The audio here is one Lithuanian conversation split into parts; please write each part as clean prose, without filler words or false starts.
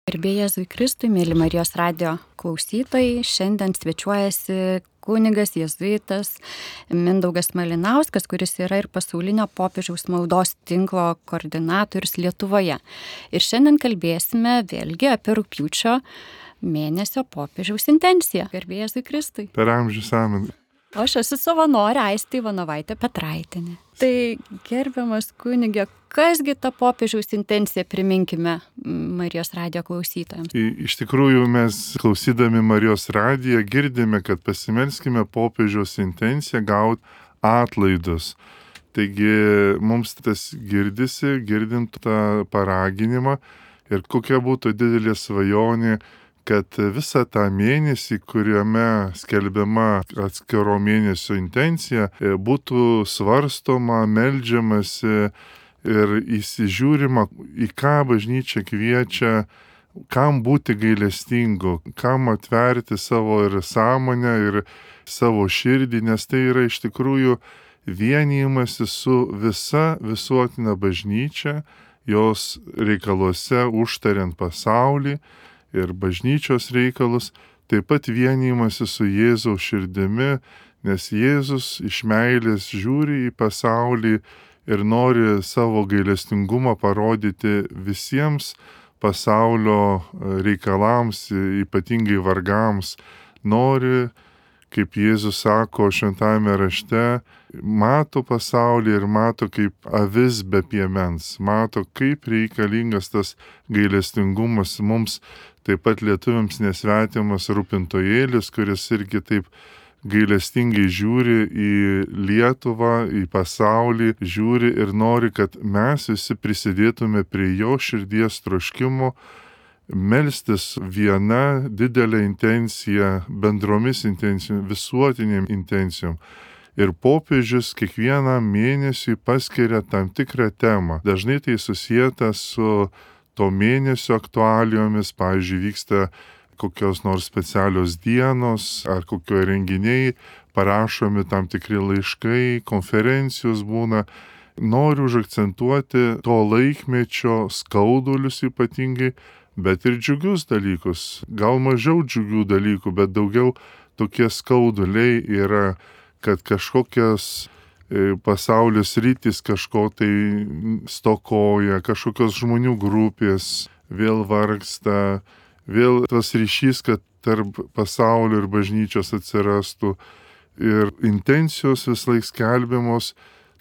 Garbė Jėzui Kristui, mėly Marijos radijo klausytojai, šiandien svečiuojasi kunigas jėzuitas Mindaugas Malinauskas, kuris yra ir pasaulinio popiežiaus maldos tinklo koordinatorius Lietuvoje. Ir šiandien kalbėsime vėlgi apie rugpjūčio mėnesio popiežiaus intenciją. Garbė Jėzui Kristui. Per amžius amen. O aš esu savanorė Aistė Ivanovaitė Petraitinė. Tai gerbiamas kunige, kasgi ta popiežiaus intencija, priminkime Marijos radijo klausytojams. Iš tikrųjų mes klausydami Marijos radiją girdime, kad pasimelskime popiežiaus intenciją gauti atlaidus. Taigi mums tas girdisi, girdint tą paraginimą ir kokia būtų didelė svajonė, kad visą tą mėnesį, kuriame skelbiama atskiro mėnesio intencija, būtų svarstoma, meldžiamasi ir įsižiūrima, į ką bažnyčia kviečia, kam būti gailestingu, kam atverti savo ir sąmonę, ir savo širdį, nes tai yra iš tikrųjų vienijimasi su visa visuotina bažnyčia, jos reikaluose užtariant pasaulį, ir bažnyčios reikalus, taip pat vienijimasi su Jėzaus širdimi, nes Jėzus iš meilės žiūri į pasaulį ir nori savo gailestingumą parodyti visiems pasaulio reikalams, ypatingai vargams. Nori, kaip Jėzus sako šventajame rašte, mato pasaulį ir mato kaip avis be piemens, mato kaip reikalingas tas gailestingumas mums. Taip pat lietuviams nesvetimas rūpintojėlis, kuris irgi taip gailestingai žiūri į Lietuvą, į pasaulį, žiūri ir nori, kad mes visi prisidėtume prie jo širdies troškimo, melstis viena didelė intencija, bendromis intencijom, visuotinėm intencijom. Ir popiežius kiekvieną mėnesį paskiria tam tikrą temą. Dažnai tai susijęta su to mėnesio aktualijomis, pavyzdžiui, vyksta kokios nors specialios dienos ar kokio renginiai, parašomi tam tikri laiškai, konferencijos būna. Noriu užakcentuoti to laikmečio skaudulius ypatingai, bet ir džiugius dalykus. Gal mažiau džiugių dalykų, bet daugiau tokie skauduliai yra, kad kažkokios pasaulio sritys kažko tai stokoja, kažkokios žmonių grupės vėl vargsta, vėl tas ryšys, kad tarp pasaulio ir bažnyčios atsirastų. Ir intencijos vislaik skelbiamos,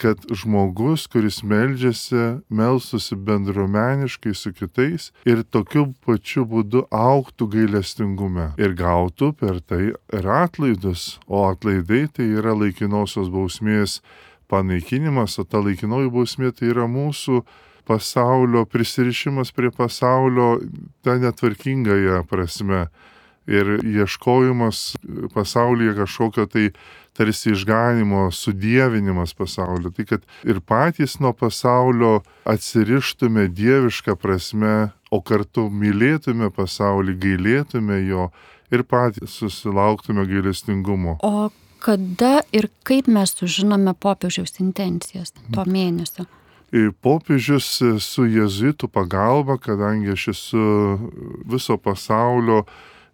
kad žmogus, kuris meldžiasi, melstųsi bendruomeniškai su kitais ir tokiu pačiu būdu augtų gailestingume ir gautų per tai ir atlaidus. O atlaidai tai yra laikinosios bausmės panaikinimas, o ta laikinoji bausmė tai yra mūsų pasaulio prisirišimas prie pasaulio ta netvarkingąją prasme ir ieškojimas pasaulyje kažkokio tai tarsi išganimo, sudievinimas pasaulio. Tai kad ir patys nuo pasaulio atsirištume dievišką prasme, o kartu mylėtume pasaulį, gailėtume jo ir patys susilauktume gailestingumo. O kada ir kaip mes sužinome popiežiaus intencijas to mėnesio? Popiežius su jėzuitų pagalba, kadangi aš esu viso pasaulio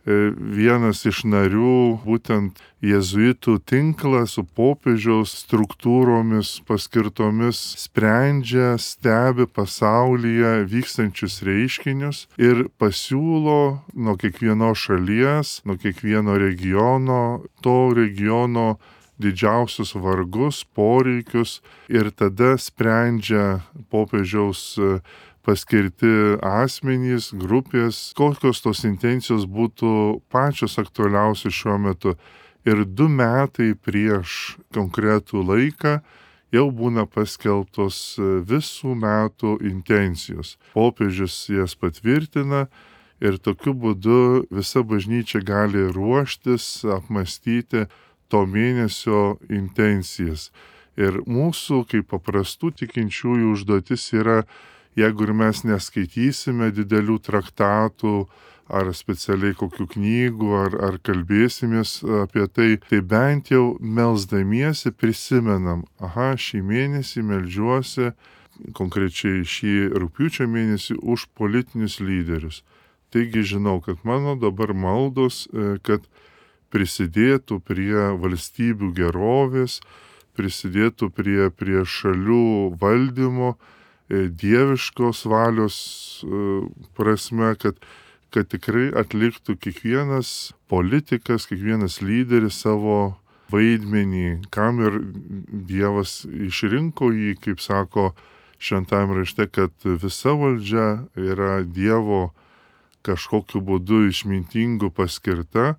vienas iš narių, būtent jėzuitų tinklas su popiežiaus struktūromis paskirtomis sprendžia, stebi pasaulyje vykstančius reiškinius ir pasiūlo nuo kiekvienos šalies, nuo kiekvieno regiono, to regiono didžiausius vargus, poreikius ir tada sprendžia popiežiaus paskirti asmenys, grupės, kokios tos intencijos būtų pačios aktualiausios šiuo metu. Ir 2 metai prieš konkretų laiką jau būna paskelbtos visų metų intencijos. Popiežius jas patvirtina ir tokiu būdu visa bažnyčia gali ruoštis, apmąstyti to mėnesio intencijas. Ir mūsų, kaip paprastų tikinčiųjų, užduotis yra, jeigu ir mes neskaitysime didelių traktatų ar specialiai kokių knygų, ar kalbėsimės apie tai, tai bent jau melsdamiesi prisimenam, šį mėnesį meldžiuosi, konkrečiai šį rugpjūčio mėnesį, už politinius lyderius. Taigi žinau, kad mano dabar maldos, kad prisidėtų prie valstybių gerovės, prisidėtų prie šalių valdymo, dieviškos valios prasme, kad tikrai atliktų kiekvienas politikas, kiekvienas lyderis savo vaidmenį, kam ir Dievas išrinko jį, kaip sako šventajame rašte, kad visa valdžia yra Dievo kažkokiu būdu išmintingu paskirta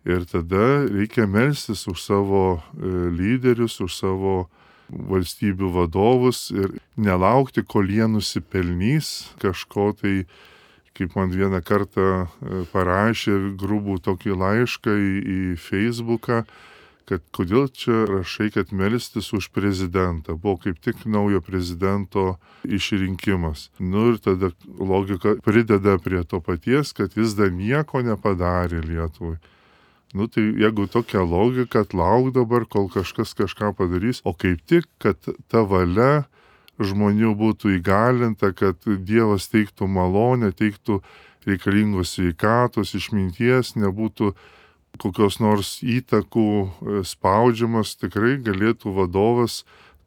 ir tada reikia melstis už savo lyderius, už savo valstybių vadovus ir nelaukti, kol jie nusipelnys kažko tai, kaip man vieną kartą parašė grubų tokį laišką į Facebooką, kad kodėl čia rašai, kad melstis už prezidentą. Buvo kaip tik naujo prezidento išrinkimas. Ir tada logika prideda prie to paties, kad jis dar nieko nepadarė Lietuvai. Tai jeigu tokia logika, lauk dabar, kol kažkas kažką padarys, o kaip tik, kad ta valia žmonių būtų įgalinta, kad Dievas teiktų malonę, teiktų reikalingos sveikatos, išminties, nebūtų kokios nors įtakų spaudžiamas, tikrai galėtų vadovas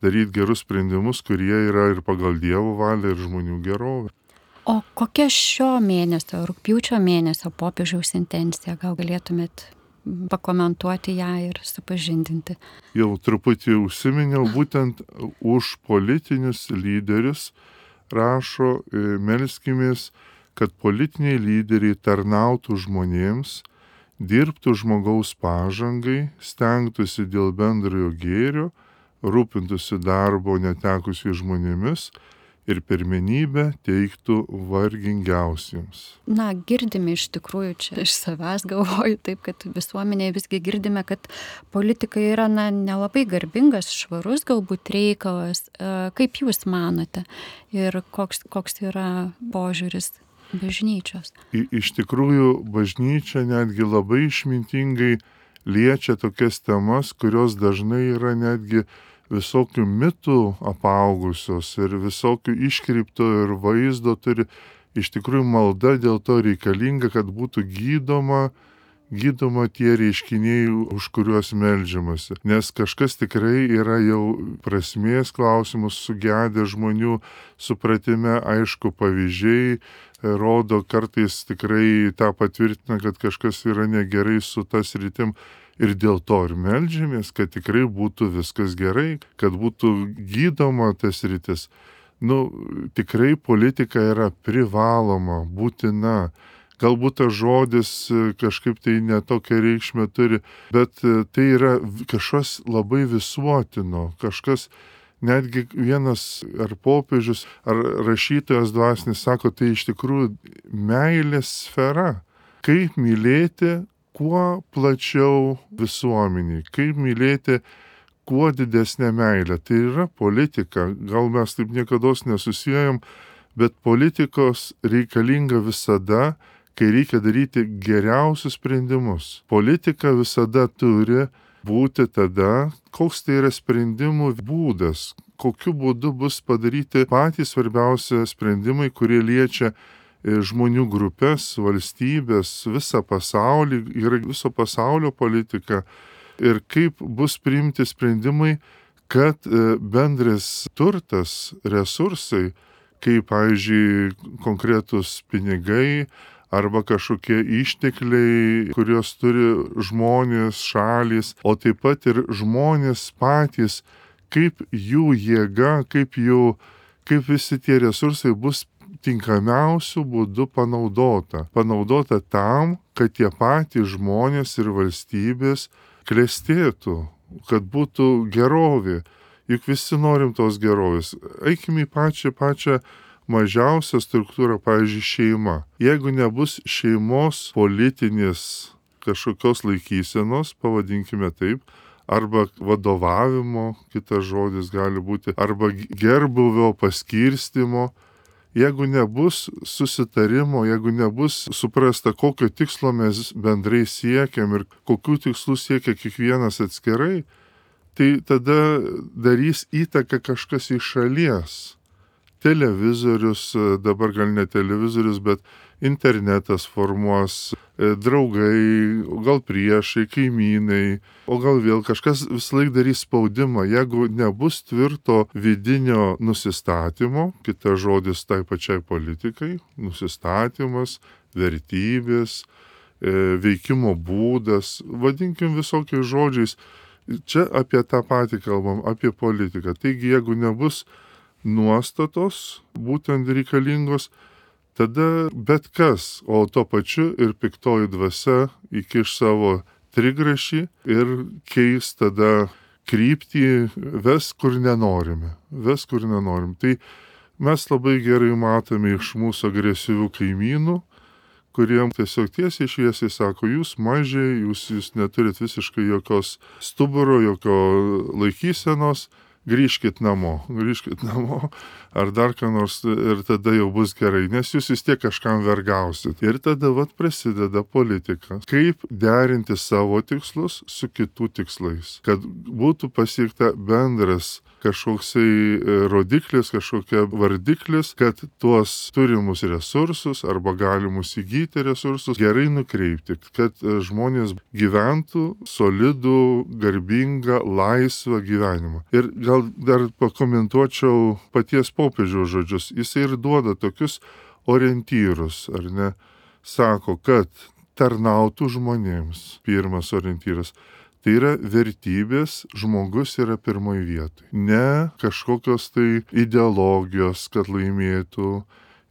daryti gerus sprendimus, kurie yra ir pagal Dievo valią, ir žmonių gerovę. O kokia šio mėnesio, rugpjūčio mėnesio popiežiaus intencija? Gal galėtumėt pakomentuoti ją ir supažindinti? Jau truputį užsiminiau, būtent už politinius lyderius rašo, melskimės, kad politiniai lyderiai tarnautų žmonėms, dirbtų žmogaus pažangai, stengtųsi dėl bendrojo gėrio, rūpintųsi darbo netekusiais žmonėmis ir pirmenybę teiktų vargingiausiems. Girdime iš tikrųjų, čia iš savęs galvoju taip, kad visuomenėje visgi girdime, kad politika yra nelabai garbingas, švarus galbūt reikalas. Kaip jūs manote ir koks yra požiūris bažnyčios? Iš tikrųjų, bažnyčia netgi labai išmintingai liečia tokias temas, kurios dažnai yra netgi visokių mitų apaugusios ir visokių iškreipto ir vaizdo turi. Iš tikrųjų, malda dėl to reikalinga, kad būtų gydoma tie reiškiniai, už kuriuos meldžiamasi. Nes kažkas tikrai yra jau prasmės klausimus sugedę žmonių supratime, aišku, pavyzdžiai rodo, kartais tikrai tą patvirtina, kad kažkas yra negerai su tas rytim. Ir dėl to ir meldžiamės, kad tikrai būtų viskas gerai, kad būtų gydoma tas rytis. Tikrai politika yra privaloma, būtina. Galbūt tas žodis kažkaip tai netokią reikšmę turi, bet tai yra kažkas labai visuotino, kažkas netgi vienas ar popiežius, ar rašytojas dvasinis sako, tai iš tikrųjų meilės sfera. Kaip mylėti kuo plačiau visuomeniai, kaip mylėti kuo didesnę meilę. Tai yra politika, gal mes taip niekados nesusijėjom, bet politikos reikalinga visada, kai reikia daryti geriausius sprendimus. Politika visada turi būti tada, koks tai yra sprendimų būdas, kokiu būdu bus padaryti patys svarbiausi sprendimai, kurie liečia žmonių grupės, valstybės, visą pasaulį, yra viso pasaulio politika ir kaip bus priimti sprendimai, kad bendras turtas, resursai, kaip, pavyzdžiui, konkretus pinigai, arba kažkokie ištekliai, kuriuos turi žmonės, šalys, o taip pat ir žmonės patys, kaip jų jėga, kaip visi tie resursai bus tinkamiausių būdų panaudota. Panaudota tam, kad tie patys žmonės ir valstybės klestėtų, kad būtų gerovė. Juk visi norim tos gerovės. Eikime į pačią mažiausia struktūra, pavyzdžiui, šeima. Jeigu nebus šeimos politinės kažkokios laikysenos, pavadinkime taip, arba vadovavimo, kitas žodis gali būti, arba gerbuvio paskirstimo, jeigu nebus susitarimo, jeigu nebus suprasta, kokio tikslo mes bendrai siekiam ir kokių tikslų siekia kiekvienas atskirai, tai tada darys įtaką kažkas iš šalies. televizorius, dabar gal ne televizorius, bet internetas formuos, draugai, o gal priešai, kaimynai, o gal vėl kažkas visąlaik darys spaudimą. Jeigu nebus tvirto vidinio nusistatymo, kitas žodis tai pačiai politikai, nusistatymas, vertybės, veikimo būdas, vadinkim visokiais žodžiais, čia apie tą patį kalbam, apie politiką. Taigi, jeigu nebus nuostatos būtent reikalingos, tada bet kas, o tuo pačiu ir piktoji dvasia įkiš savo trigrašį ir keis tada kryptį, ves kur nenorime. Tai mes labai gerai matome iš mūsų agresyvių kaimynų, kuriem tiesiog tiesiai šviesiai sako, jūs mažiai, jūs neturit visiškai jokios stuburo, jokio laikysenos, grįžkit namo, ar dar ką nors, ir tada jau bus gerai, nes jūs vis tiek kažkam vergausit. Ir tada prasideda politika. Kaip derinti savo tikslus su kitų tikslais, kad būtų pasiekta bendras kažkoksai rodiklis, kažkokia vardiklis, kad tuos turimus resursus arba galimus įgyti resursus gerai nukreipti, kad žmonės gyventų solidų, garbingą, laisvą gyvenimą. Ir gal dar pakomentuočiau paties popiežiaus žodžius. Jis ir duoda tokius orientyrus, ar ne? Sako, kad tarnautų žmonėms. Pirmas orientyras. Tai yra vertybės, žmogus yra pirmoje vietoje. Ne kažkokios tai ideologijos, kad laimėtų,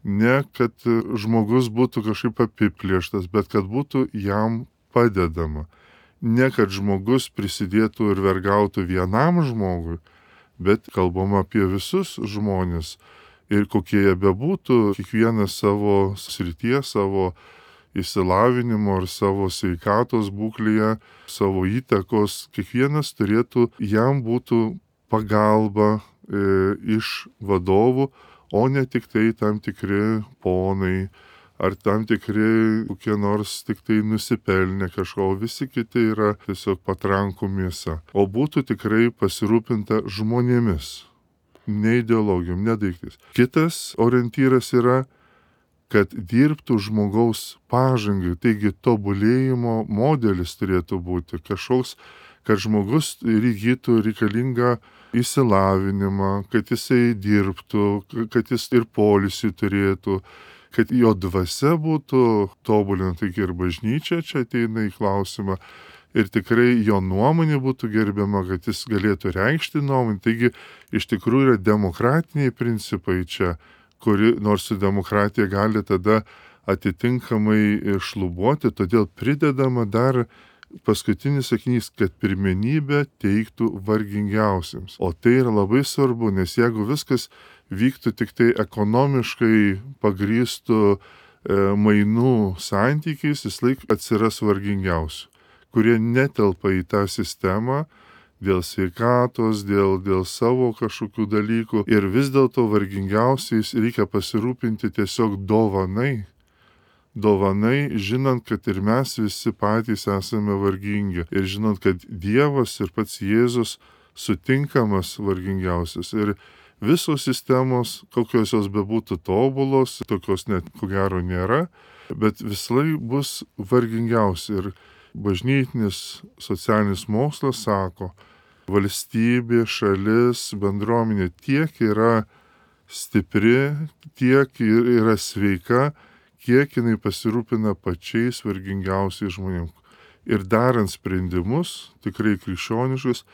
ne kad žmogus būtų kažkaip apiplėštas, bet kad būtų jam padedama. Ne kad žmogus prisidėtų ir vergautų vienam žmogui, bet kalbama apie visus žmonės. Ir kokie jie bebūtų, kiekvienas savo srityje, savo išsilavinimo ar savo sveikatos būklėje, savo įtakos, kiekvienas turėtų, jam būtų pagalba iš vadovų, o ne tik tai tam tikri ponai, ar tam tikri kokie nors tik tai nusipelnę kažko, visi kiti yra tiesiog patrankų mėsa. O būtų tikrai pasirūpinta žmonėmis, ne ideologijom, ne daiktais. Kitas orientyras yra, kad dirbtų žmogaus pažangai, taigi tobulėjimo modelis turėtų būti kažkoks, kad žmogus įgytų reikalingą išsilavinimą, kad jisai dirbtų, kad jis ir poilsį turėtų, kad jo dvasia būtų tobulinta, taigi ir bažnyčia čia ateina į klausimą, ir tikrai jo nuomonė būtų gerbiama, kad jis galėtų reikšti nuomonę. Taigi iš tikrųjų yra demokratiniai principai čia, kuri nors su demokratija gali tada atitinkamai šlubuoti, todėl pridedama dar paskutinis sakinys, kad pirmenybę teiktų vargingiausiems. O tai yra labai svarbu, nes jeigu viskas vyktų tik tai ekonomiškai pagrįstų mainų santykiais, vis laik atsiras vargingiausių, kurie netelpa į tą sistemą, dėl sveikatos, dėl savo kažkokių dalykų. Ir vis dėlto vargingiausiais reikia pasirūpinti tiesiog dovanai. Dovanai, žinant, kad ir mes visi patys esame vargingi. Ir žinant, kad Dievas ir pats Jėzus sutinkamas vargingiausias. Ir visos sistemos, kokios jos bebūtų tobulos, tokios net ko gero nėra, bet vislai bus vargingiausi. Ir bažnytinis socialinis mokslas sako, valstybė, šalis, bendruomenė tiek yra stipri, tiek yra sveika, kiek jinai pasirūpina pačiais vargingiausiais žmonėms. Ir darant sprendimus, tikrai krikščioniškus,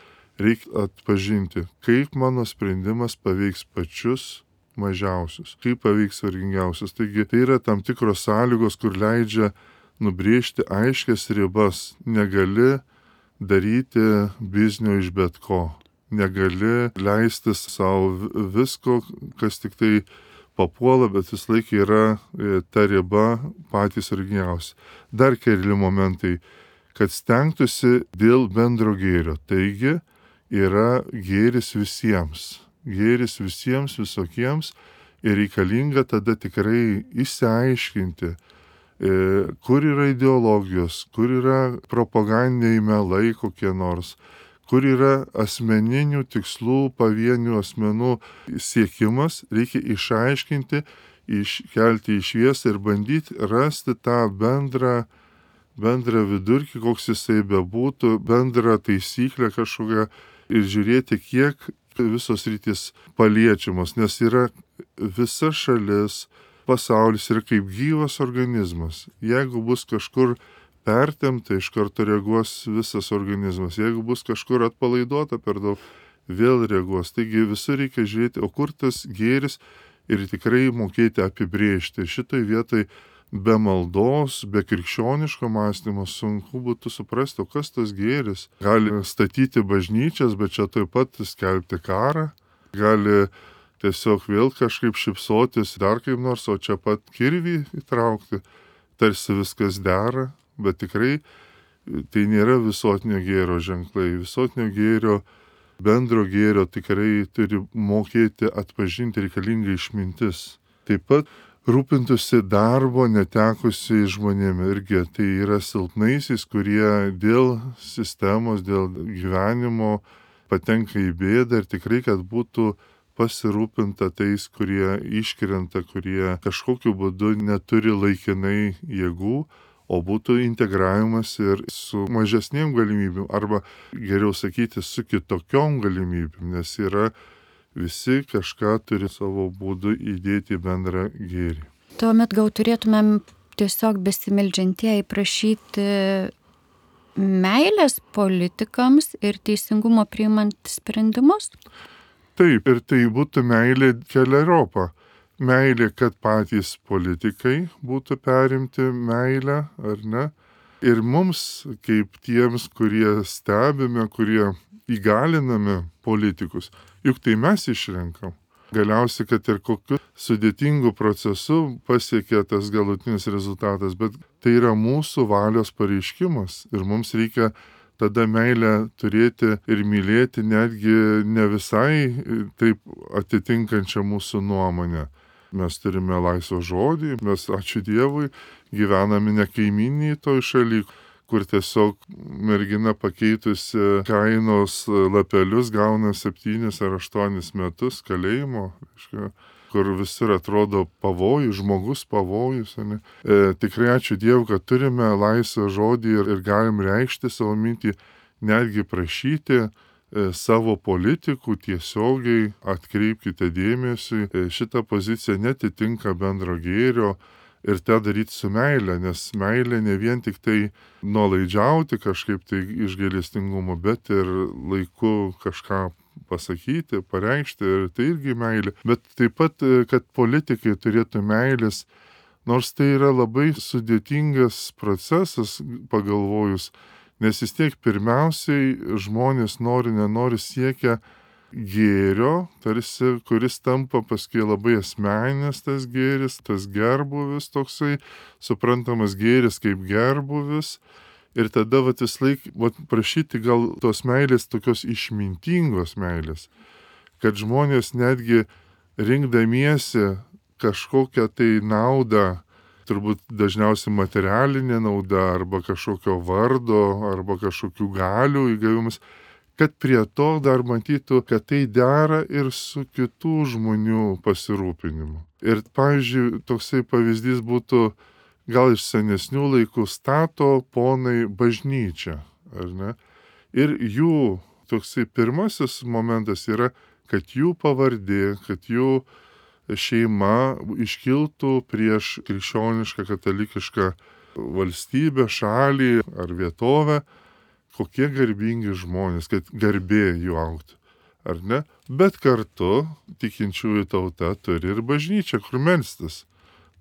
reikia atpažinti, kaip mano sprendimas paveiks pačius mažiausius, kaip paveiks vargingiausius. Taigi tai yra tam tikros sąlygos, kur leidžia nubrėžti aiškias ribas. Negali daryti biznio iš bet ko. Negali leistis savo visko, kas tik tai papuola, bet vis laik yra ta riba patys vargingiausi. Dar keli momentai, kad stengtųsi dėl bendro gėrio. Taigi yra gėris visiems. Gėris visiems visokiems ir reikalinga tada tikrai išsiaiškinti, kur yra ideologijos, kur yra propagandiniai melai kokie nors, kur yra asmeninių tikslų, pavienių asmenų siekimas, reikia išaiškinti, iškelti į šviesą ir bandyti rasti tą bendrą vidurkį, koks jisai bebūtų, bendrą taisyklę kažkokią ir žiūrėti, kiek visos rytis paliečiamos, nes yra visa šalis, pasaulis yra kaip gyvas organizmas. Jeigu bus kažkur pertempta, iš karto reaguos visas organizmas. Jeigu bus kažkur atpalaiduota per daug, vėl reaguos. Taigi visur reikia žiūrėti, o kur tas gėris ir tikrai mokėti apibrėžti. Šitoj vietoj be maldos, be krikščioniško mąstymo sunku būtų suprasti, o kas tas gėris. Gali statyti bažnyčias, bet čia taip pat skelbti karą. Gali tiesiog vėl kažkaip šypsotis, dar kaip nors, o čia pat kirvį įtraukti. Tarsi viskas dera, bet tikrai tai nėra visuotinio gėrio ženklai. Visuotinio gėrio, bendro gėrio tikrai turi mokėti atpažinti reikalinga išmintis. Taip pat rūpintųsi darbo netekusiai žmonėmis irgi. Tai yra silpnaisiais, kurie dėl sistemos, dėl gyvenimo patenka į bėdą ir tikrai, kad būtų pasirūpinta tais, kurie iškrenta, kurie kažkokiu būdu neturi laikinai jėgų, o būtų integravimas ir su mažesnėm galimybėm, arba geriau sakyti, su kitokiom galimybėm, nes yra visi kažką turi savo būdu įdėti į bendrą gėrį. Tuomet gal turėtumėm tiesiog besimeldžiantieji prašyti meilės politikams ir teisingumo priimant sprendimus? Taip, ir tai būtų meilė keleriopa. Meilė, kad patys politikai būtų perimti meilę, ar ne? Ir mums, kaip tiems, kurie stebime, kurie įgaliname politikus, juk tai mes išrenkam. Galiausiai, kad ir kokiu sudėtingu procesu pasiekia tas galutinis rezultatas, bet tai yra mūsų valios pareiškimas ir mums reikia tada meilę turėti ir mylėti netgi ne visai taip atitinkančią mūsų nuomonę. Mes turime laisvą žodį, mes, ačiū Dievui, gyvename ne kaimyniniai toj šaly, kur tiesiog mergina pakeitusi kainos lapelius gauna 7 ar 8 metus kalėjimo, kur visur atrodo pavojus, žmogus pavojus. Tikrai ačiū Dievui, kad turime laisvą žodį ir galim reikšti savo mintį, netgi prašyti savo politikų tiesiogiai atkreipkite dėmesį, šitą poziciją netitinka bendro gėrio ir tą daryti su meilė, nes meilė ne vien tik tai nuolaidžiauti kažkaip tai iš gailestingumo, bet ir laiku kažką pasakyti, pareikšti, ir tai irgi meilė. Bet taip pat, kad politikai turėtų meilės, nors tai yra labai sudėtingas procesas pagalvojus, nes vis tiek pirmiausiai žmonės nenori siekia gėrio, tarsi, kuris tampa paskui labai asmeninis tas gėris, tas gerbuvis toksai, suprantamas gėris kaip gerbuvis. Ir tada vis laik prašyti gal tos meilės, tokios išmintingos meilės, kad žmonės netgi rinkdamiesi kažkokią tai naudą, turbūt dažniausiai materialinė nauda arba kažkokio vardo arba kažkokių galių įgavimas, kad prie to dar matytų, kad tai dera ir su kitų žmonių pasirūpinimu. Ir, pavyzdžiui, toksai pavyzdys būtų gal iš senesnių laikų stato ponai bažnyčią, ar ne? Ir jų toksai pirmasis momentas yra, kad jų pavardė, kad jų šeima iškiltų prieš krikščionišką katalikišką valstybę, šalį ar vietovę, kokie garbingi žmonės, kad garbė jų augtų, ar ne? Bet kartu tikinčiųjų tauta turi ir bažnyčią, kur melstis.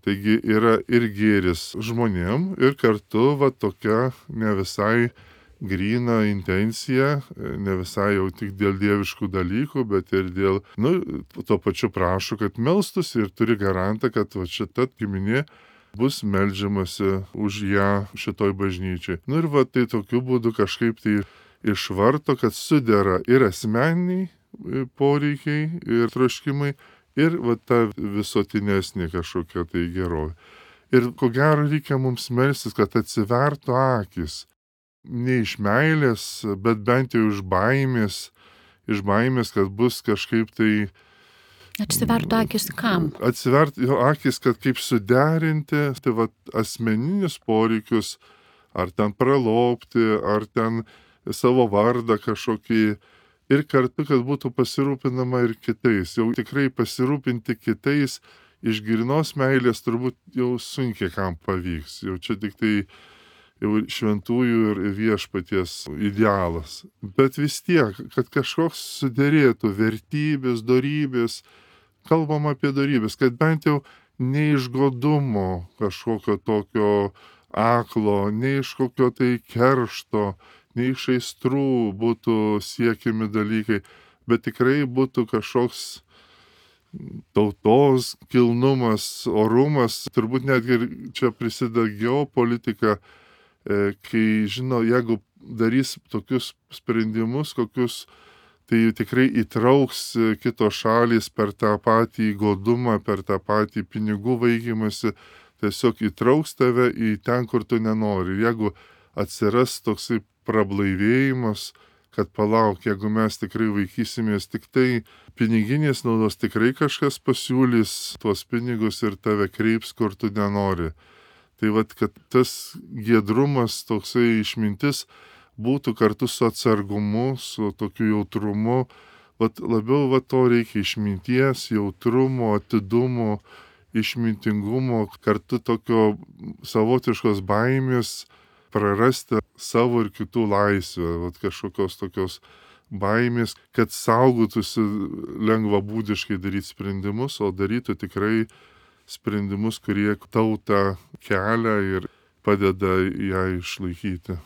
Taigi yra ir gėris žmonėm, ir kartu tokia ne visai gryna intencija, ne visai jau tik dėl dieviškų dalykų, bet ir dėl, to pačiu prašo, kad melstųsi ir turi garantą, kad šita giminė bus meldžiamasi už ją šitoj bažnyčiai. Ir tai tokiu būdu kažkaip tai išvarto, kad sudera ir asmeniniai poreikiai ir troškimai, ir ta visuotinesnė kažkokia tai gerovė. Ir ko gero reikia mums melstis, kad atsivertų akis. ne iš meilės, bet bent jau iš baimės, kad bus kažkaip tai Atsivertų akis kam? atsivert jo akis, kad kaip suderinti, tai va asmeninius poreikius, ar ten pralopti, ar ten savo vardą kažkokį, ir kartu, kad būtų pasirūpinama ir kitais. Jau tikrai pasirūpinti kitais iš grynos meilės turbūt jau sunkiai kam pavyks. Jau čia tik tai jau šventųjų ir viešpaties idealas. Bet vis tiek, kad kažkoks suderėtų vertybės, dorybės, kalbam apie dorybės, kad bent jau ne iš godumo kažkokio tokio aklo, ne iš kokio tai keršto, ne iš aistrų būtų siekiami dalykai, bet tikrai būtų kažkoks tautos kilnumas, orumas, turbūt netgi čia prisideda geopolitika, kai žino, jeigu darys tokius sprendimus, kokius tai tikrai įtrauks kitos šalys per tą patį godumą, per tą patį pinigų vaikymasi, tiesiog įtrauks tave į ten, kur tu nenori. Jeigu atsiras toksai prablaivėjimas, kad palauk, jeigu mes tikrai vaikysimės tik tai piniginės naudos, tikrai kažkas pasiūlys tuos pinigus ir tave kreips, kur tu nenori. Tai vat, kad tas giedrumas, toksai išmintis būtų kartu su atsargumu, su tokiu jautrumu. Vat labiau to reikia išminties, jautrumo, atidumo, išmintingumo, kartu tokio savotiškos baimės prarasti savo ir kitų laisvę, vat kažkokios tokios baimės, kad saugotųsi lengvabūdiškai daryti sprendimus, o darytų tikrai sprendimus, kurie tautą kelia ir padeda ją išlaikyti.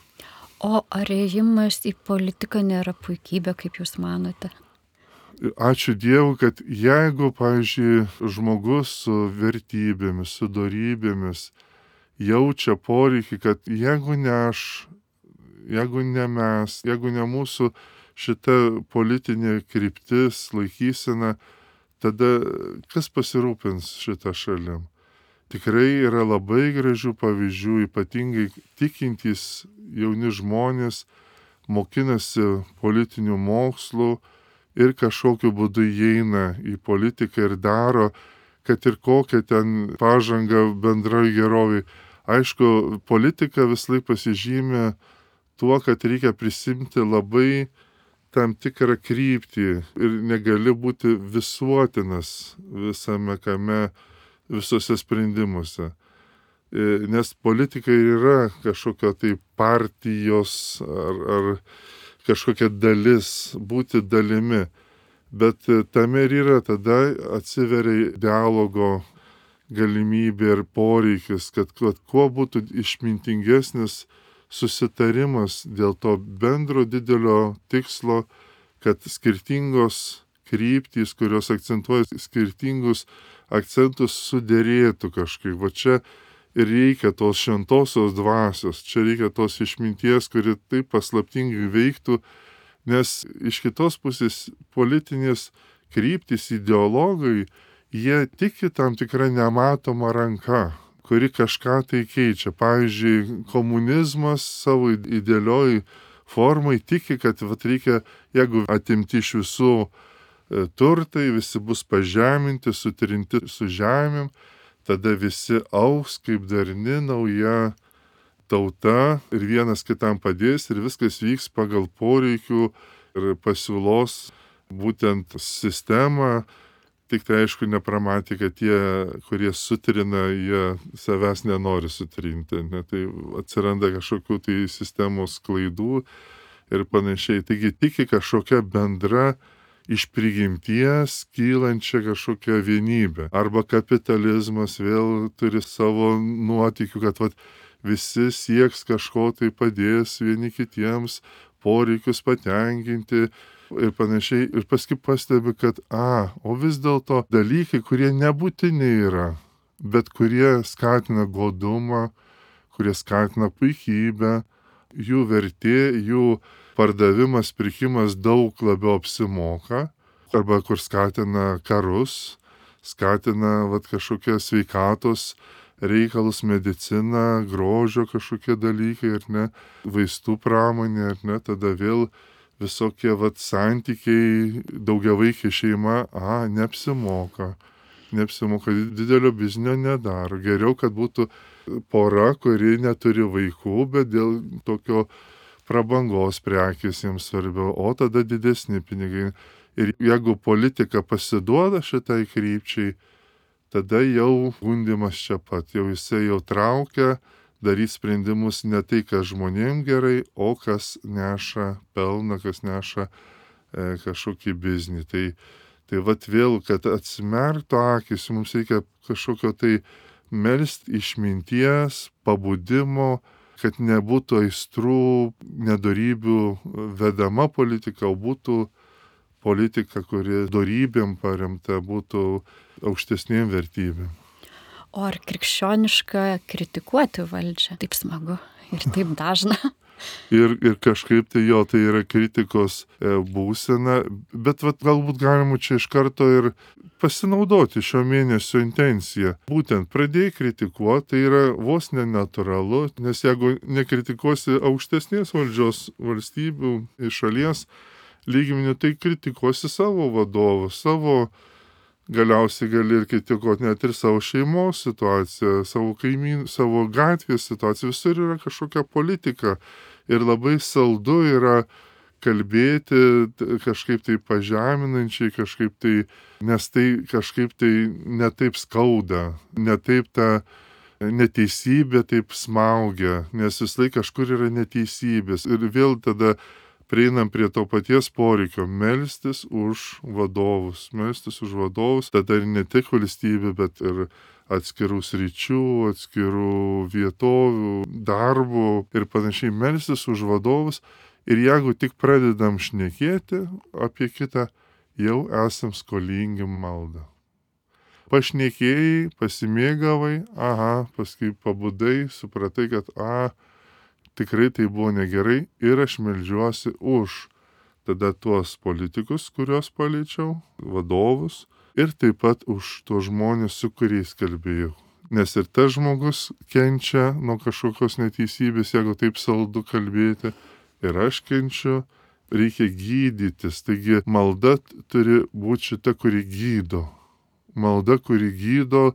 O ar ėjimas į politiką nėra puikybė, kaip jūs manote? Ačiū Dievui, kad jeigu, pavyzdžiui, žmogus su vertybėmis, su dorybėmis jaučia poreikį, kad jeigu ne aš, jeigu ne mes, jeigu ne mūsų šita politinė kryptis, laikysena, tada kas pasirūpins šitą šalim? Tikrai yra labai gražių pavyzdžių, ypatingai tikintys jauni žmonės mokinasi politinių mokslų ir kažkokiu būdu įeina į politiką ir daro, kad ir kokią ten pažangą bendroji gerovė. Aišku, politika visąlaik pasižymė tuo, kad reikia prisimti labai tam tikrą kryptį ir negali būti visuotinas visame kame, visose sprendimuose. Nes politika yra kažkokia tai partijos ar kažkokia dalis, būti dalimi. Bet tame ir yra, tada atsiveria dialogo galimybė ir poreikis, kad kuo būtų išmintingesnis susitarimas dėl to bendro didelio tikslo, kad skirtingos kryptys, kurios akcentuoja skirtingus akcentus, suderėtų kažkaip. Va čia ir reikia tos šventosios dvasios, čia reikia tos išminties, kuri taip paslaptingai veiktų, nes iš kitos pusės politinės kryptys, ideologai, jie tiki tam tikrą nematomą ranką, kuri kažką tai keičia. Pavyzdžiui, komunizmas savo idealioj formai tiki, kad reikia, jeigu atimti iš visų turtai, visi bus pažeminti, sutrinti su žemėm, tada visi augs kaip darni nauja tauta ir vienas kitam padės ir viskas vyks pagal poreikių ir pasiūlos būtent sistemą. Tik tai aišku nepramatė, kad tie, kurie sutrina, jie savęs nenori sutrinti. Ne? Tai atsiranda kažkokių tai sistemos klaidų ir panašiai. Taigi tiki kažkokia bendra iš prigimties kylančia kažkokia vienybė. Arba kapitalizmas vėl turi savo nuotykių, kad visi sieks kažko tai padės vieni kitiems, poreikius patenkinti ir panašiai. Ir paskui pastebi, kad o vis dėlto dalykai, kurie nebūtini yra, bet kurie skatina godumą, kurie skatina puikybę, jų vertė, jų pardavimas, pirkimas daug labiau apsimoka, arba kur skatina karus, skatina kažkokią sveikatos reikalus, medicina, grožio kažkokie dalykai, ar ne, vaistų pramonė, ar ne, tada vėl visokie santykiai, daugiavaikė šeima, neapsimoka, didelio biznio nedaro. Geriau, kad būtų pora, kuri neturi vaikų, bet dėl tokio prabangos prekės jiems svarbiau, o tada didesni pinigai. Ir jeigu politika pasiduoda šitai krypčiai, tada jau gundimas čia pat, jau jisai jau traukia daryti sprendimus ne tai, kas žmonėm gerai, o kas neša pelną, kas neša kažkokį biznį. Tai vėl, kad atsimerktų akis, mums reikia kažkokio tai melst išminties, pabudimo, kad nebūtų aistrų, nedorybių vedama politika, o būtų politika, kuri dorybėm paremta, būtų aukštesnėm vertybėm. O ar krikščioniška kritikuoti valdžią? Taip smagu ir taip dažna. Ir kažkaip tai yra kritikos būsena, bet galbūt galima čia iš karto ir pasinaudoti šio mėnesio intenciją. Būtent pradėjai kritikuoti, tai yra vos nenatūralu, nes jeigu nekritikuosi aukštesnės valdžios valstybių iš šalies lygmenių, tai kritikuosi savo vadovus, galiausiai gali ir kritikuoti net ir savo šeimos situaciją, savo kaimynų, savo gatvės situaciją, visur yra kažkokia politika. Ir labai saldu yra kalbėti kažkaip tai pažeminančiai, kažkaip tai, nes tai kažkaip tai netaip skauda, netaip ta neteisybė taip smaugia, nes vis laik kažkur yra neteisybės. Ir vėl tada prieinam prie to paties poreikio melstis už vadovus, tada ir ne tik valstybė, bet ir atskirų sričių, atskirų vietovių, darbų ir panašiai melstis už vadovus. Ir jeigu tik pradedam šnekėti apie kitą, jau esam skolingi maldą. Pašnekėjai, pasimėgavai, paskui pabudai, supratai, kad tikrai tai buvo negerai ir aš meldžiuosi už tada tuos politikus, kuriuos paliečiau, vadovus, ir taip pat už tuos žmonės, su kuriais kalbėjau. Nes ir tas žmogus kenčia nuo kažkokios neteisybės, jeigu taip saldu kalbėti, ir aš kenčiu, reikia gydytis. Taigi malda turi būti šita, kuri gydo. Malda, kuri gydo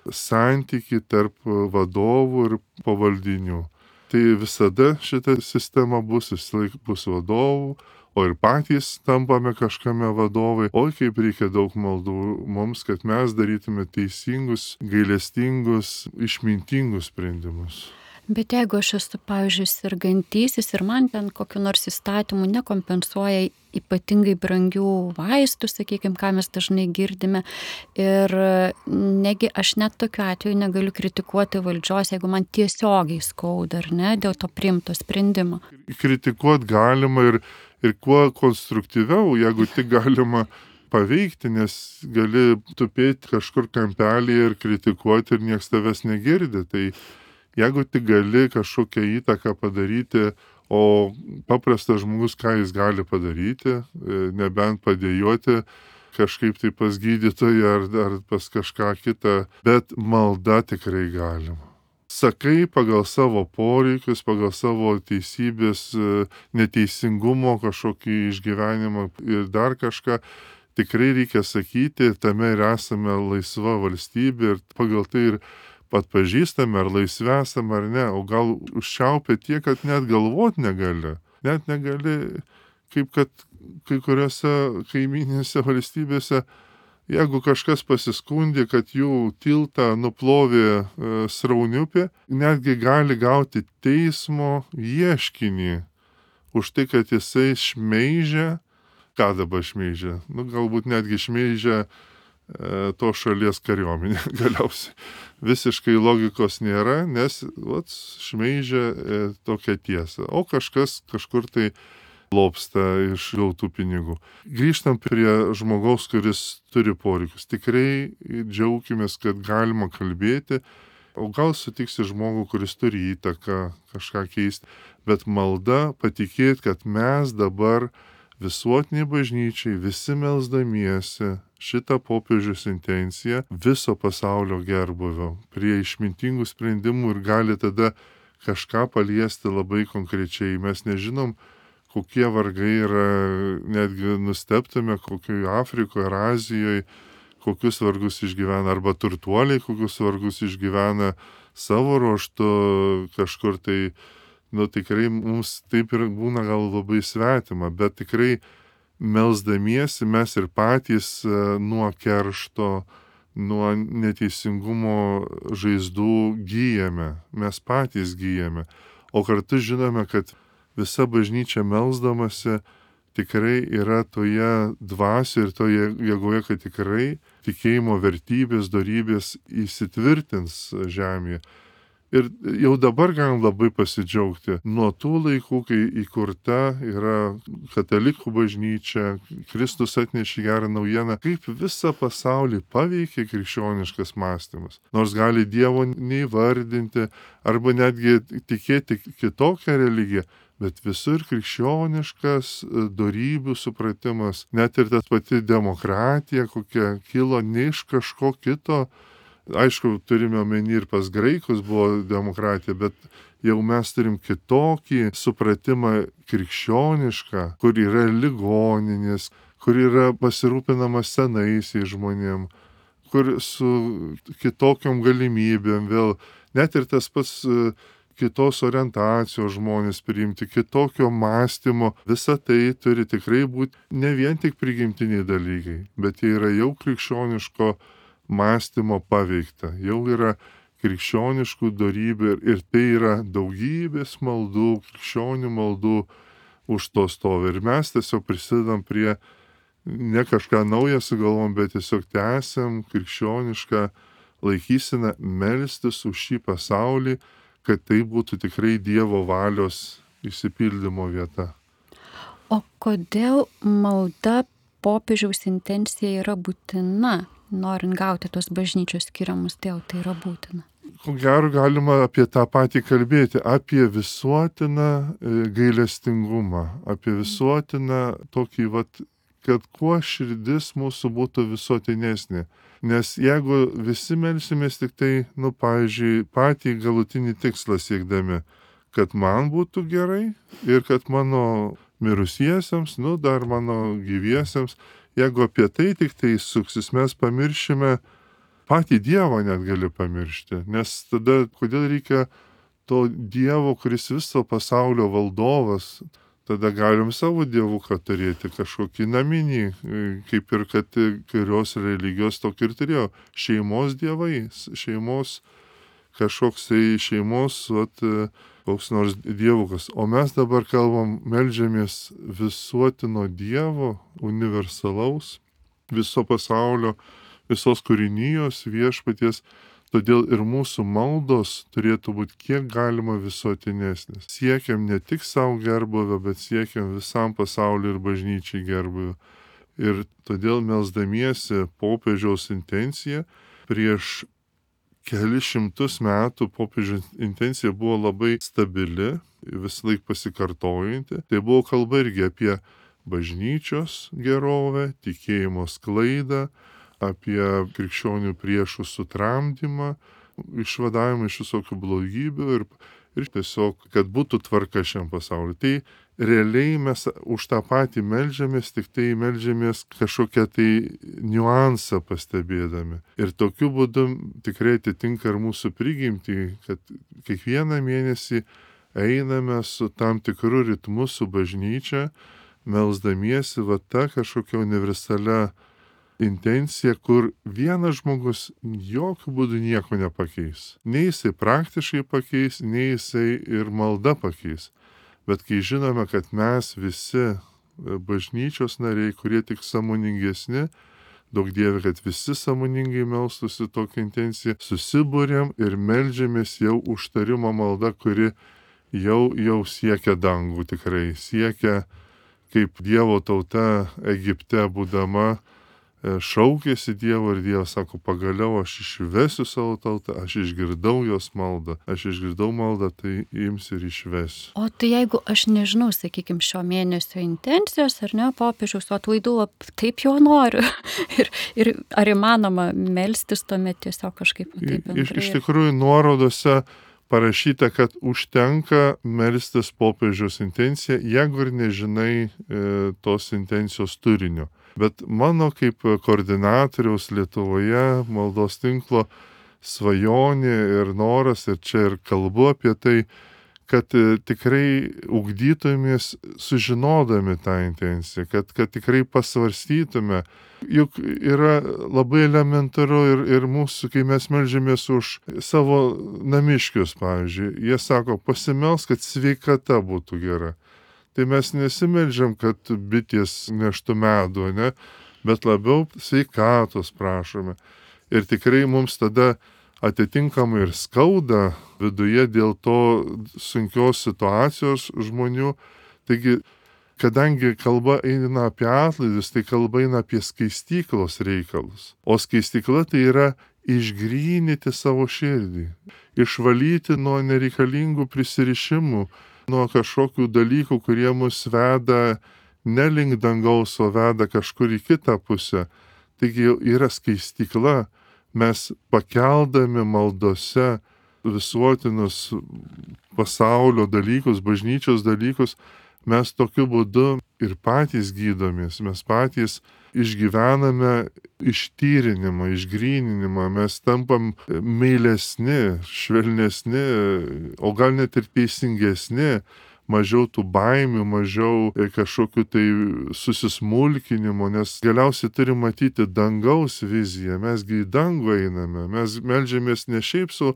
santyki tarp vadovų ir pavaldinių. Tai visada šita sistema bus vadovų, o ir patys tampame kažkame vadovai. Oi, kaip reikia daug maldų mums, kad mes darytume teisingus, gailestingus, išmintingus sprendimus. Bet jeigu aš esu, pavyzdžiui, sergantysis ir man ten kokiu nors įstatymu nekompensuoja ypatingai brangių vaistų, sakykime, ką mes dažnai girdime, ir negi aš net tokiu atveju negaliu kritikuoti valdžios, jeigu man tiesiogiai skauda, ar ne, dėl to priimto sprendimo. Kritikuoti galima ir kuo konstruktyviau, jeigu tik galima paveikti, nes gali tupėti kažkur kampelyje ir kritikuoti ir nieks tavęs negirdi. Tai jeigu tik gali kažkokią įtaką padaryti, o paprastas žmogus, ką jis gali padaryti, nebent padėjoti kažkaip tai pas gydytoją ar pas kažką kitą, bet malda tikrai galima. Sakai pagal savo poreikius, pagal savo teisybės, neteisingumo kažkokį išgyvenimą ir dar kažką, tikrai reikia sakyti, tame ir esame laisva valstybė ir pagal tai ir atpažįstame, ar laisvi esame ar ne, o gal užčiaupia tiek, kad net galvot negali. Net negali, kaip kad kai kuriuose kaimyninėse valstybėse, jeigu kažkas pasiskundė, kad jų tiltą nuplovė srauniupė, netgi gali gauti teismo ieškinį už tai, kad jisai šmeižia, ką dabar šmeižia, galbūt netgi šmeižia to šalies kariuomenė galiausiai. Visiškai logikos nėra, nes šmeižia tokią tiesą, o kažkas kažkur tai lobsta iš gautų pinigų. Grįžtam prie žmogaus, kuris turi poreikius. Tikrai džiaukimės, kad galima kalbėti, o gal sutiksi žmogų, kuris turi įtaką kažką keisti, bet malda patikėti, kad mes dabar visuotiniai bažnyčiai, visi melsdamiesi šitą popiežiaus intenciją viso pasaulio gerbuvio, prie išmintingų sprendimų ir gali tada kažką paliesti labai konkrečiai. Mes nežinom, kokie vargai yra, netgi nustebtume, kokioje Afrikoje ar Azijoje, kokius vargus išgyvena, arba turtuoliai, kokius vargus išgyvena savo ruoštu kažkur tai, tikrai mums taip ir būna gal labai svetima, bet tikrai melsdamiesi mes ir patys nuo keršto, nuo neteisingumo žaizdų gyjame, mes patys gyjame, o kartu žinome, kad visa bažnyčia melsdamasi tikrai yra toje dvasioje ir toje jėgoje, kad tikrai tikėjimo vertybės, dorybės įsitvirtins žemėje. Ir jau dabar galim labai pasidžiaugti. Nuo tų laikų, kai įkurta yra katalikų bažnyčia, Kristus atnešė gerą naujieną, kaip visą pasaulį paveikė krikščioniškas mąstymas. Nors gali Dievo neįvardinti arba netgi tikėti kitokią religiją, bet visur krikščioniškas dorybių supratimas, net ir tas pati demokratija, kokia kilo ne iš kažko kito. Aišku, turime omeny ir pas graikus buvo demokratija, bet jau mes turim kitokį supratimą krikščionišką, kur yra ligoninės, kur yra pasirūpinama senaisiais žmonėm, kur su kitokiom galimybėm vėl, net ir tas pats kitos orientacijos žmonės priimti, kitokio mąstymo, visa tai turi tikrai būti ne vien tik prigimtiniai dalykai, bet jie yra jau krikščioniško mąstymo paveikta, jau yra krikščioniškų dorybių ir tai yra daugybės maldų, krikščionių maldų už to stovi. Ir mes tiesiog prisidedam prie, ne kažką naują sugalvom, bet tiesiog tęsiam krikščionišką laikyseną melstis už šį pasaulį, kad tai būtų tikrai Dievo valios išsipildymo vieta. O kodėl malda popiežiaus intencija yra būtina? Norint gauti tos bažnyčios skiriamus, dėl tai yra būtina. Ko gero galima apie tą patį kalbėti, apie visuotiną gailestingumą, apie visuotiną tokį, kad kuo širdis mūsų būtų visuotinesnė. Nes jeigu visi melsimės tik tai, pavyzdžiui, patį galutinį tikslą siekdami, kad man būtų gerai ir kad mano mirusiesiems, dar mano gyviesiems, jeigu apie tai tik tai suksis, mes pamiršime, patį Dievą net gali pamiršti. Nes tada, kodėl reikia to Dievo, kuris viso pasaulio valdovas, tada galim savo dievuką turėti kažkokį naminį, kaip ir kad kurios religijos tokį ir turėjo. Šeimos dievai, šeimos kažkoksai šeimos, koks nors dievukas. O mes dabar kalbam, meldžiamės visuotino Dievo, universalaus, viso pasaulio, visos kūrinijos viešpaties. Todėl ir mūsų maldos turėtų būti kiek galima visuotinesnės. Siekiam ne tik savo gerbuvio, bet siekiam visam pasauliu ir bažnyčiai gerbuvio. Ir todėl melsdamiesi popiežiaus intenciją prieš kelis šimtus metų popiežiaus intencija buvo labai stabili, visąlaik pasikartojanti. Tai buvo kalba irgi apie bažnyčios gerovę, tikėjimo sklaidą, apie krikščionių priešų sutramdymą, išvadavimą iš visokių blogybių ir tiesiog, kad būtų tvarka šiam pasauliu. Tai realiai mes už tą patį meldžiamės, tik tai meldžiamės kažkokią tai niuansą pastebėdami. Ir tokiu būdu tikrai atitinka ir mūsų prigimtį, kad kiekvieną mėnesį einame su tam tikru ritmu su bažnyčia, melsdamiesi ta kažkokia universalia intencija, kur vienas žmogus jokių būdų nieko nepakeis. Nei jisai praktiškai pakeis, nei jisai ir malda pakeis. Bet kai žinome, kad mes visi bažnyčios nariai, kurie tik sąmoningesni, daug Dieve, kad visi sąmoningai melstųsi tokią intenciją, susibūrėm ir meldžiamės jau užtarimo malda, kuri jau siekia dangų tikrai, siekia kaip Dievo tauta Egipte būdama, šaukėsi Dievo ir Dievas sako, pagaliau aš išvesiu savo tautą, aš išgirdau jos maldą, tai ims ir išvesiu. O tai jeigu aš nežinau, sakykime, šio mėnesio intencijos ar ne, popiežiaus atlaidų, taip jau noriu. ir ar įmanoma melstis tuomet tiesiog kažkaip taip bendrai? Iš tikrųjų nuorodose parašyta, kad užtenka melstis popiežiaus intenciją, jeigu ir nežinai tos intencijos turinio. Bet mano kaip koordinatoriaus Lietuvoje maldos tinklo svajonė ir noras, ir čia ir kalbu apie tai, kad tikrai ugdytumės sužinodami tą intenciją, kad tikrai pasvarstytume. Juk yra labai elementaru ir mūsų, kai mes meldžiamės už savo namiškius, pavyzdžiui, jie sako, pasimelsk, kad sveikata būtų gera. Tai mes nesimeldžiam, kad bitės neštų medų, ne? Bet labiau sveikatos prašome. Ir tikrai mums tada atitinkamai ir skauda viduje dėl to sunkios situacijos žmonių. Taigi, kadangi kalba eina apie atlaidus, tai kalba eina apie skaistyklos reikalus. O skaistykla tai yra išgrynyti savo širdį, išvalyti nuo nereikalingų prisirišimų, nuo kažkokių dalykų, kurie mus veda ne link dangaus, o veda kažkur į kitą pusę. Taigi yra skaistykla, mes pakeldami maldose visuotinus pasaulio dalykus, bažnyčios dalykus, mes tokiu būdu ir patys gydomės, mes patys išgyvename ištyrinimą, išgryninimą, mes tampam meilesni, švelnesni, o gal net ir teisingesni, mažiau tų baimių, mažiau kažkokių tai susismulkinimo, nes galiausiai turim matyti dangaus viziją, mesgi į dangų einame, mes meldžiamės ne šiaip su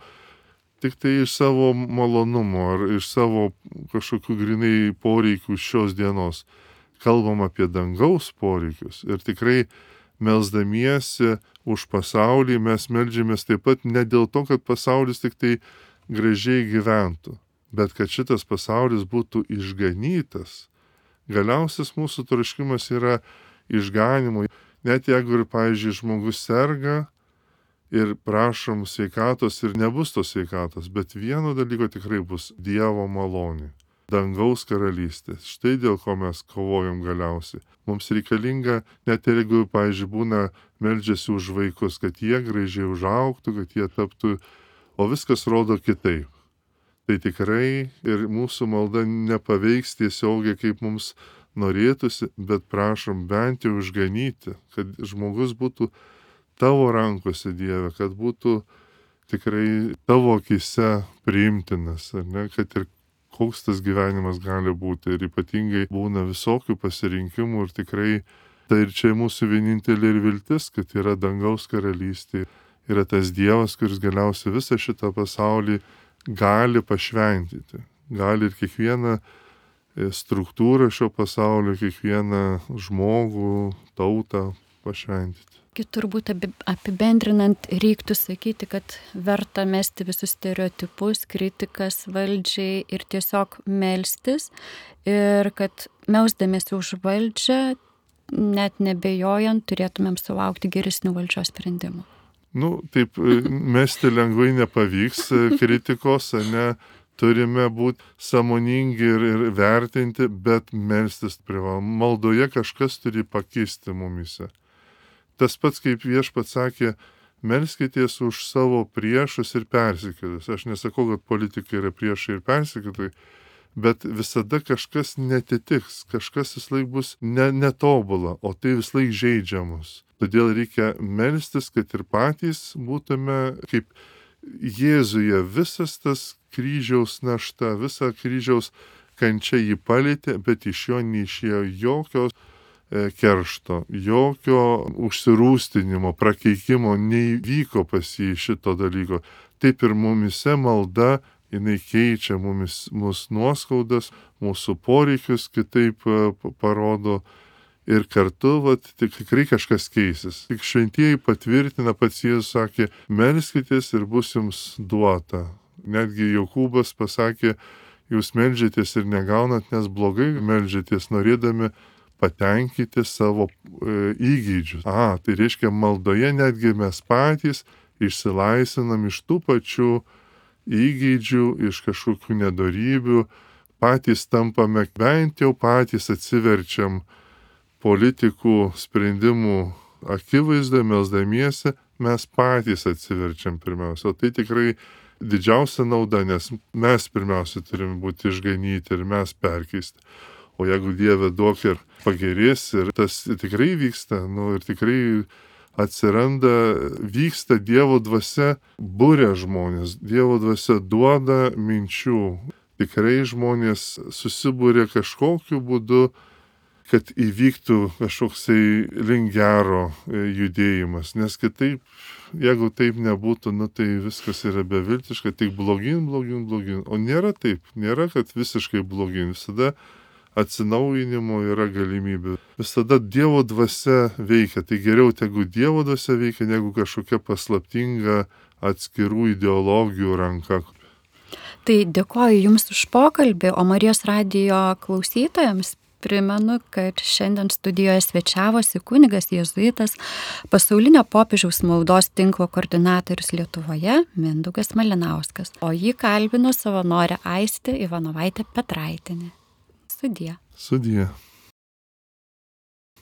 tik tai iš savo malonumo ar iš savo kažkokių grinai poreikių šios dienos. Kalbam apie dangaus poreikius ir tikrai melsdamiesi už pasaulį mes meldžiamės taip pat ne dėl to, kad pasaulis tik tai gražiai gyventų, bet kad šitas pasaulis būtų išganytas. Galiausias mūsų troškimas yra išganimo. Net jeigu ir, pavyzdžiui, žmogus serga ir prašom sveikatos ir nebus tos sveikatos, bet vieno dalyko tikrai bus Dievo malonė. Dangaus karalystės. Štai dėl ko mes kovojam galiausiai. Mums reikalinga, net jeigu, pavyzdžiui, būna meldžiasi už vaikus, kad jie gražiai užaugtų, kad jie taptų, o viskas rodo kitaip. Tai tikrai ir mūsų malda nepaveiks tiesiogiai, kaip mums norėtųsi, bet prašom bent jau išganyti, kad žmogus būtų tavo rankose, Dieve, kad būtų tikrai tavo akise priimtinas, ar ne, kad ir koks tas gyvenimas gali būti. Ir ypatingai būna visokių pasirinkimų ir tikrai tai ir čia mūsų vienintelė ir viltis, kad yra dangaus karalystė. Yra tas Dievas, kuris galiausiai visą šitą pasaulį gali pašventyti. Gali ir kiekvieną struktūrą šio pasaulio, kiekvieną žmogų, tautą pašventyti. Turbūt apibendrinant reiktų sakyti, kad verta mesti visus stereotipus, kritikas valdžiai ir tiesiog melstis ir kad melsdamiesi už valdžią, net nebejojant, turėtumėm sulaukti geresnių valdžios sprendimų. Taip mesti lengvai nepavyks kritikos, ne, turime būti sąmoningi ir vertinti, bet melstis privalom. Maldoje kažkas turi pakisti mumise. Tas pats, kaip Viešpats sakė, melskitės už savo priešus ir persekiotojus. Aš nesakau, kad politikai yra priešai ir persekiotojai, bet visada kažkas netitiks, kažkas vislaik bus netobula, o tai vislaik žeidžia mus. Todėl reikia melstis, kad ir patys būtume kaip Jėzuje, visas tas kryžiaus našta, visa kryžiaus kančia jį palėtė, bet iš jo neišėjo jokios keršto, jokio užsirūstinimo, prakeikimo neįvyko pas jį šito dalyko. Taip ir mumise malda, jinai keičia mūsų nuoskaudas, mūsų poreikius kitaip parodo ir kartu, tikrai kažkas keisis. Tik šventieji patvirtina, pats Jėzus sakė, melskitės ir bus jums duota. Netgi Jokūbas pasakė, jūs meldžiatės ir negaunat, nes blogai meldžiatės, norėdami patenkinti savo įgeidžius. Tai reiškia, maldoje netgi mes patys išsilaisvinam iš tų pačių įgeidžių, iš kažkokių nedorybių, patys tampame, bent jau patys atsiverčiam politikų sprendimų akivaizdoje, melsdamiesi, mes patys atsiverčiam pirmiausia. O tai tikrai didžiausia nauda, nes mes pirmiausia turim būti išganyti ir mes perkeisti. O jeigu Dieve duok ir pagerės, ir tas tikrai vyksta, ir tikrai atsiranda, vyksta Dievo dvasia, buria žmonės, Dievo dvasia duoda minčių. Tikrai žmonės susibūrė kažkokiu būdu, kad įvyktų kažkoksai link gero judėjimas. Nes kitaip, jeigu taip nebūtų, tai viskas yra beviltiška, tik blogin. O nėra taip, nėra, kad visiškai blogin. Visada atsinaujinimo yra galimybė. Visada Dievo dvasia veikia. Tai geriau tegu Dievo dvasia veikia, negu kažkokia paslaptinga atskirų ideologijų ranka. Tai dėkoju Jums už pokalbį, o Marijos radijo klausytojams primenu, kad šiandien studijoje svečiavosi kunigas jėzuitas, pasaulinio popiežiaus maldos tinklo koordinatorius Lietuvoje Mindaugas Malinauskas, o jį kalbino savanorė Aistė Ivanovaitė Petraitienė. Sudie.